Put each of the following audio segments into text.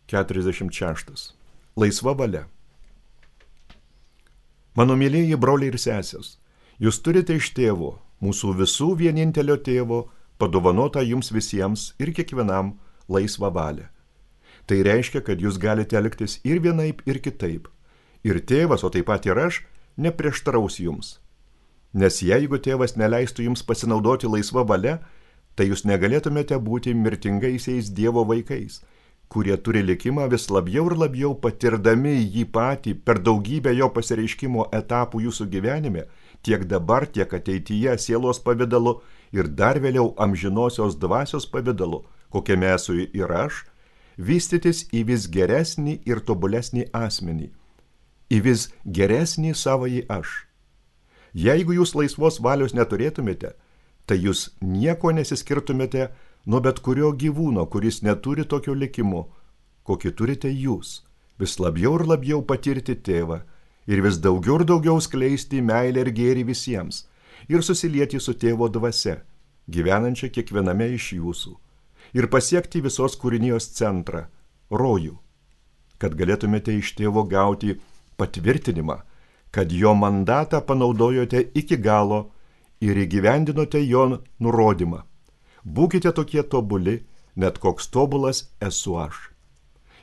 46. Laisva valia. Mano mylėjai broliai ir sesės, jūs turite iš tėvo, mūsų visų vienintelio tėvo, padovanotą jums visiems ir kiekvienam laisvą valią. Tai reiškia, kad jūs galite elgtis ir vienaip, ir kitaip. Ir tėvas, o taip pat ir aš, neprieštaraus jums. Nes jeigu tėvas neleistų jums pasinaudoti laisva valia, tai jūs negalėtumėte būti mirtingaisiais Dievo vaikais, kurie turi likimą vis labiau ir labiau patirdami jį patį per daugybę jo pasireiškimo etapų jūsų gyvenime, tiek dabar, tiek ateityje sielos pavidalu ir dar vėliau amžinosios dvasios pavidalu, kokiame esu ir aš, vystytis į vis geresnį ir tobulesnį asmenį, į vis geresnį savąjį aš. Jeigu jūs laisvos valios neturėtumėte, tai jūs nieko nesiskirtumėte nuo bet kurio gyvūno, kuris neturi tokio likimo, kokį turite jūs, vis labiau ir labiau patirti tėvą ir vis daugiau ir daugiau skleisti meilę ir gėrį visiems ir susilieti su tėvo dvasia, gyvenančia kiekviename iš jūsų, ir pasiekti visos kūrinijos centrą, rojų, kad galėtumėte iš tėvo gauti patvirtinimą, kad jo mandatą panaudojote iki galo ir įgyvendinote jo nurodymą. Būkite tokie tobuli, net koks tobulas esu aš.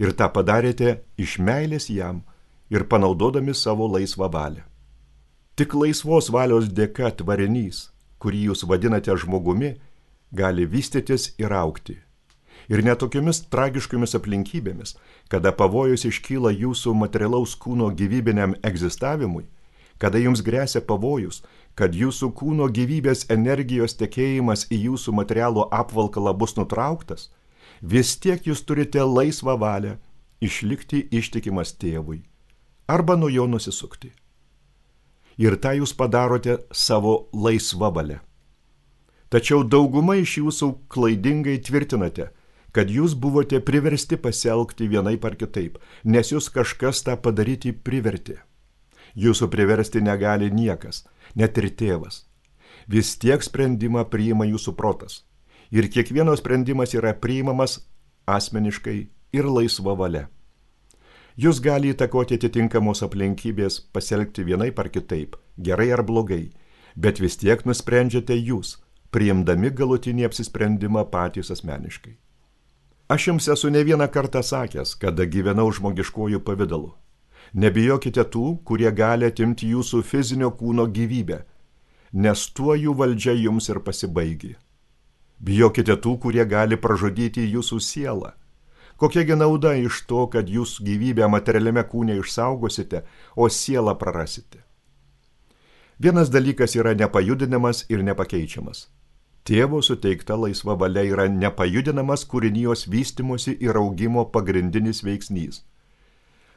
Ir tą padarėte iš meilės jam ir panaudodami savo laisvą valią. Tik laisvos valios dėka tvarinys, kurį jūs vadinate žmogumi, gali vystytis ir augti. Ir netokiomis tragiškomis aplinkybėmis, kada pavojus iškyla jūsų materialaus kūno gyvybiniam egzistavimui, kada jums gresia pavojus, kad jūsų kūno gyvybės energijos tekėjimas į jūsų materialų apvalkalą bus nutrauktas, vis tiek jūs turite laisvą valią išlikti ištikimas tėvui arba nuo jo nusisukti. Ir tą jūs padarote savo laisvą valią. Tačiau dauguma iš jūsų klaidingai tvirtinate, kad jūs buvote priversti pasielgti vienaip ar kitaip, nes jūs kažkas tą padaryti privertė. Jūsų priversti negali niekas, net ir tėvas. Vis tiek sprendimą priima jūsų protas. Ir kiekvieno sprendimas yra priimamas asmeniškai ir laisva valia. Jūs gali įtakoti atitinkamos aplinkybės pasielgti vienaip ar kitaip, gerai ar blogai, bet vis tiek nusprendžiate jūs, priimdami galutinį apsisprendimą patys asmeniškai. Aš jums esu ne vieną kartą sakęs, kada gyvenau žmogiškojų pavidalu. Nebijokite tų, kurie gali atimti jūsų fizinio kūno gyvybę, nes tuo jų valdžia jums ir pasibaigė. Bijokite tų, kurie gali pražudyti jūsų sielą. Kokiagi nauda iš to, kad jūs gyvybę materialiame kūne išsaugosite, o sielą prarasite? Vienas dalykas yra nepajudinamas ir nepakeičiamas. Tėvo suteikta laisva valia yra nepajudinamas kūrinijos vystymosi ir augimo pagrindinis veiksnys.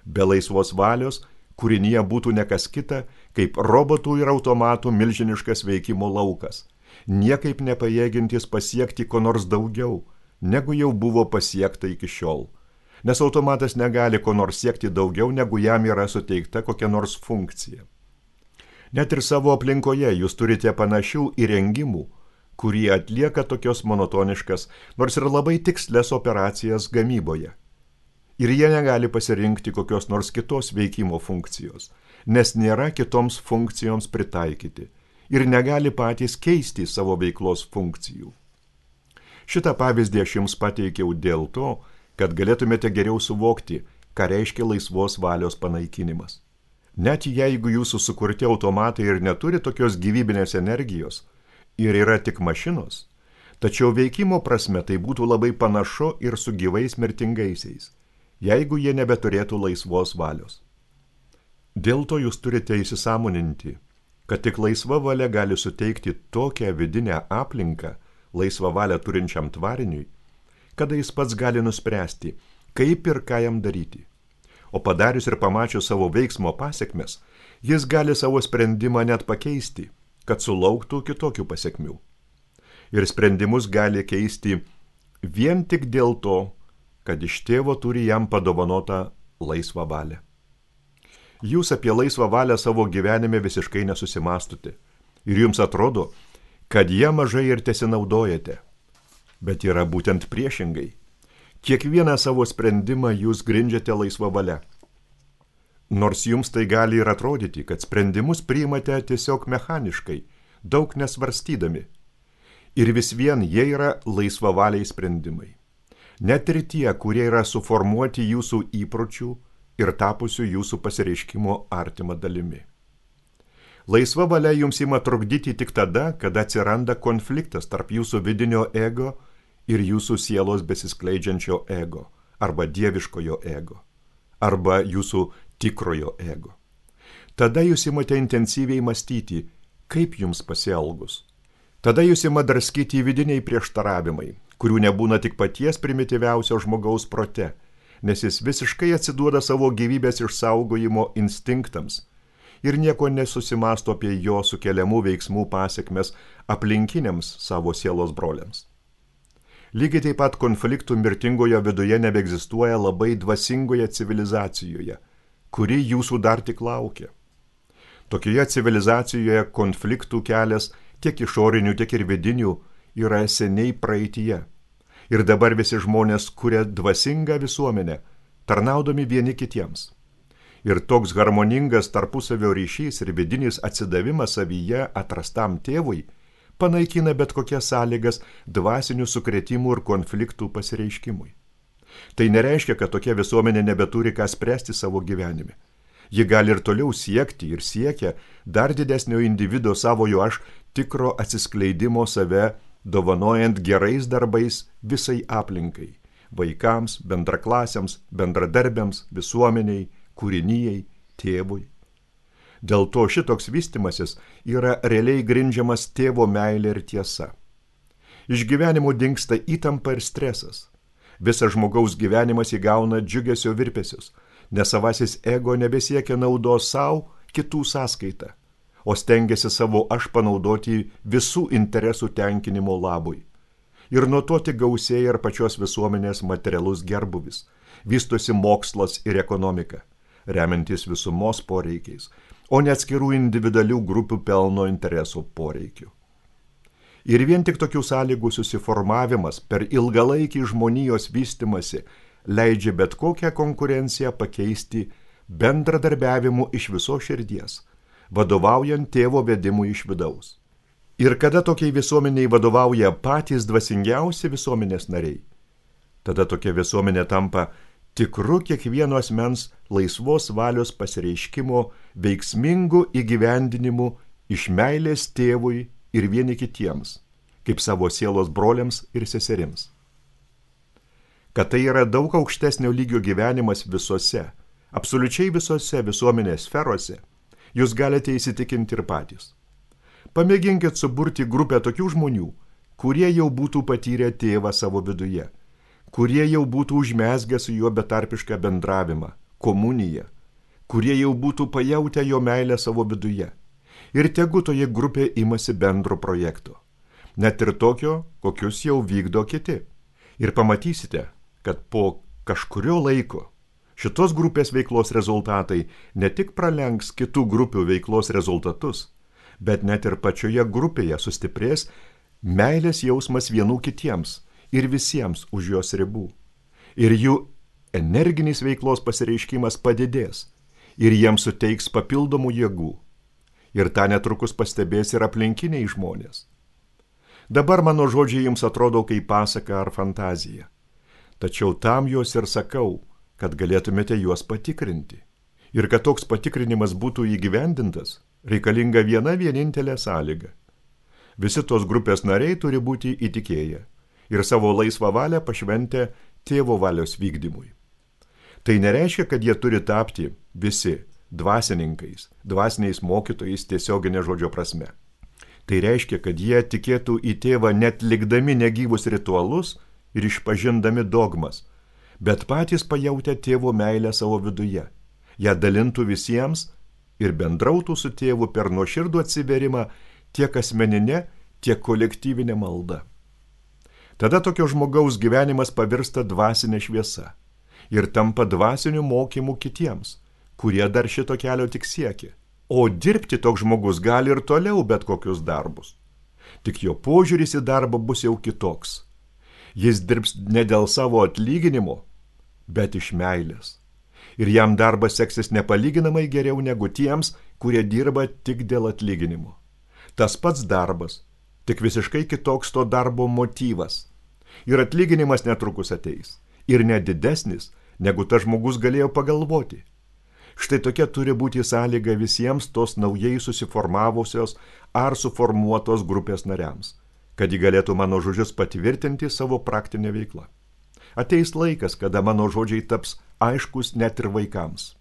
Be laisvos valios kūrinyje būtų nekas kita, kaip robotų ir automatų milžiniškas veikimo laukas, niekaip nepajėgintis pasiekti ko nors daugiau, negu jau buvo pasiekta iki šiol. Nes automatas negali ko nors siekti daugiau, negu jam yra suteikta kokia nors funkcija. Net ir savo aplinkoje jūs turite panašių įrengimų, kurie atlieka tokios monotoniškas, nors ir labai tikslias operacijas gamyboje. Ir jie negali pasirinkti kokios nors kitos veikimo funkcijos, nes nėra kitoms funkcijoms pritaikyti ir negali patys keisti savo veiklos funkcijų. Šitą pavyzdį aš jums pateikiau dėl to, kad galėtumėte geriau suvokti, ką reiškia laisvos valios panaikinimas. Net jeigu jūsų sukurti automatai ir neturi tokios gyvybinės energijos ir yra tik mašinos, tačiau veikimo prasme tai būtų labai panašu ir su gyvais mirtingaisiais, jeigu jie nebeturėtų laisvos valios. Dėl to jūs turite įsisąmoninti, kad tik laisva valia gali suteikti tokią vidinę aplinką laisvą valią turinčiam tvariniui, kada jis pats gali nuspręsti, kaip ir ką jam daryti. O padarius ir pamačius savo veiksmo pasekmes, jis gali savo sprendimą net pakeisti, kad sulauktų kitokių pasekmių. Ir sprendimus gali keisti vien tik dėl to, kad iš tėvo turi jam padovanotą laisvą valią. Jūs apie laisvą valią savo gyvenime visiškai nesusimastote ir jums atrodo, kad jie mažai ir tesinaudojate. Bet yra būtent priešingai. Kiekvieną savo sprendimą jūs grindžiate laisva valia. Nors jums tai gali ir atrodyti, kad sprendimus priimate tiesiog mechaniškai, daug nesvarstydami. Ir vis vien jie yra laisvavaliai sprendimai. Net ir tie, kurie yra suformuoti jūsų įpročių ir tapusių jūsų pasireiškimo artima dalimi. Laisva valia jums ima trukdyti tik tada, kada atsiranda konfliktas tarp jūsų vidinio ego ir jūsų sielos besiskleidžiančio ego, arba dieviškojo ego, arba jūsų tikrojo ego. Tada jūs imate intensyviai mąstyti, kaip jums pasielgus. Tada jūs ima draskyti vidiniai prieštaravimai, kurių nebūna tik paties primityviausio žmogaus prote, nes jis visiškai atsiduoda savo gyvybės išsaugojimo instinktams ir nieko nesusimasto apie jo sukeliamų veiksmų pasiekmes aplinkiniams savo sielos broliams. Lygiai taip pat konfliktų mirtingojo viduje nebeegzistuoja labai dvasingoje civilizacijoje, kuri jūsų dar tik laukia. Tokioje civilizacijoje konfliktų kelias tiek išorinių, tiek ir vidinių yra seniai praeityje. Ir dabar visi žmonės kuria dvasingą visuomenę, tarnaudami vieni kitiems. Ir toks harmoningas tarpusavio ryšys ir vidinis atsidavimas savyje atrastam tėvui panaikina bet kokias sąlygas dvasinių sukrėtimų ir konfliktų pasireiškimui. Tai nereiškia, kad tokia visuomenė nebeturi ką spręsti savo gyvenime. Ji gali ir toliau siekti ir siekia dar didesnio individo savojo aš tikro atsiskleidimo save, dovanojant gerais darbais visai aplinkai, vaikams, bendraklasiams, bendradarbiams, visuomeniai, kūrinijai, tėvui. Dėl to šitoks vystimasis yra realiai grindžiamas tėvo meilė ir tiesa. Iš gyvenimo dingsta įtampa ir stresas. Visas žmogaus gyvenimas įgauna džiugesio virpesius, nes savasis ego nebesiekia naudos savo kitų sąskaitą, o stengiasi savo aš panaudoti visų interesų tenkinimo labui. Ir nuo to tik gausėja ir pačios visuomenės materialus gerbuvis, vystosi mokslas ir ekonomika, remiantis visumos poreikiais, o ne atskirų individualių grupių pelno interesų poreikių. Ir vien tik tokių sąlygų susiformavimas per ilgalaikį žmonijos vystimasi leidžia bet kokią konkurenciją pakeisti bendradarbiavimu iš visos širdies, vadovaujant tėvo vedimui iš vidaus. Ir kada tokiai visuomeniai vadovauja patys dvasingiausi visuomenės nariai, tada tokia visuomenė tampa tikru kiekvieno asmens laisvos valios pasireiškimo veiksmingu įgyvendinimu iš meilės tėvui ir vieni kitiems, kaip savo sielos broliams ir seserims. Kad tai yra daug aukštesnio lygio gyvenimas visose, absoliučiai visose visuomenės sferose, jūs galite įsitikinti ir patys. Pamėginkit suburti grupę tokių žmonių, kurie jau būtų patyrę tėvą savo viduje, kurie jau būtų užmezgę su juo betarpišką bendravimą, komuniją, kurie jau būtų pajautę jo meilę savo viduje. Ir tegu toje grupėje imasi bendro projekto, net ir tokio, kokius jau vykdo kiti. Ir pamatysite, kad po kažkurio laiko šitos grupės veiklos rezultatai ne tik pralenks kitų grupių veiklos rezultatus, bet net ir pačioje grupėje sustiprės meilės jausmas vienų kitiems ir visiems už jos ribų. Ir jų energinis veiklos pasireiškimas padidės ir jiems suteiks papildomų jėgų. Ir tą netrukus pastebės ir aplinkiniai žmonės. Dabar mano žodžiai jums atrodo kaip pasaka ar fantazija. Tačiau tam juos ir sakau, kad galėtumėte juos patikrinti. Ir kad toks patikrinimas būtų įgyvendintas, reikalinga viena vienintelė sąlyga. Visi tos grupės nariai turi būti įtikėję ir savo laisvą valią pašventę tėvo valios vykdymui. Tai nereiškia, kad jie turi tapti visi dvasininkais, dvasiniais mokytojais tiesioginė žodžio prasme. Tai reiškia, kad jie tikėtų į tėvą net likdami negyvus ritualus ir išpažindami dogmas, bet patys pajautę tėvo meilę savo viduje, ją dalintų visiems ir bendrautų su tėvu per nuoširdų atsiverimą tiek asmeninė, tiek kolektyvinė malda. Tada tokio žmogaus gyvenimas pavirsta dvasinė šviesa ir tampa dvasiniu mokymu kitiems, kurie dar šito kelio tik siekia. O dirbti toks žmogus gali ir toliau bet kokius darbus. Tik jo požiūris į darbą bus jau kitoks. Jis dirbs ne dėl savo atlyginimo, bet iš meilės. Ir jam darbas seksis nepalyginamai geriau negu tiems, kurie dirba tik dėl atlyginimo. Tas pats darbas, tik visiškai kitoks to darbo motyvas. Ir atlyginimas netrukus ateis. Ir net didesnis, negu tas žmogus galėjo pagalvoti. Štai tokia turi būti sąlyga visiems tos naujai susiformavusios ar suformuotos grupės nariams, kad ji galėtų mano žodžius patvirtinti savo praktinę veiklą. Ateis laikas, kada mano žodžiai taps aiškus net ir vaikams.